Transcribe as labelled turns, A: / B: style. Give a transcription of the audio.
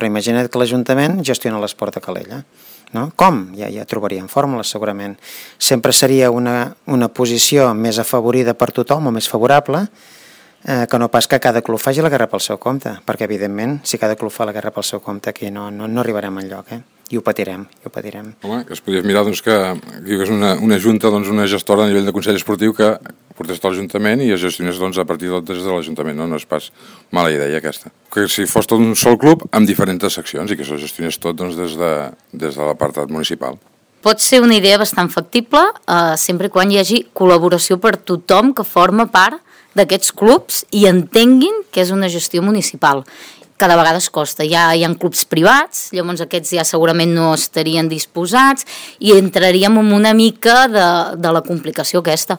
A: però imagina't que l'Ajuntament gestiona l'esport a Calella. No? Com? Ja trobaríem fórmules, segurament. Sempre seria una posició més afavorida per tothom o més favorable que no pas que cada club faci la guerra pel seu compte, perquè evidentment si cada club fa la guerra pel seu compte aquí no arribarem enlloc, i ho patirem.
B: Home, que es podria mirar doncs, que hi hagués una junta, doncs, una gestora a nivell de Consell Esportiu que portés tot l'Ajuntament i es gestionés doncs, a partir des de l'Ajuntament, no és pas mala idea aquesta. Que si fos tot un sol club amb diferents seccions i que s'ho gestionés tot doncs, des de l'apartat municipal.
C: Pot ser una idea bastant factible, sempre quan hi hagi col·laboració per tothom que forma part d'aquests clubs i entenguin que és una gestió municipal. Cada vegada es costa, hi ha clubs privats, llavors aquests ja segurament no estarien disposats i entraríem en una mica de la complicació aquesta.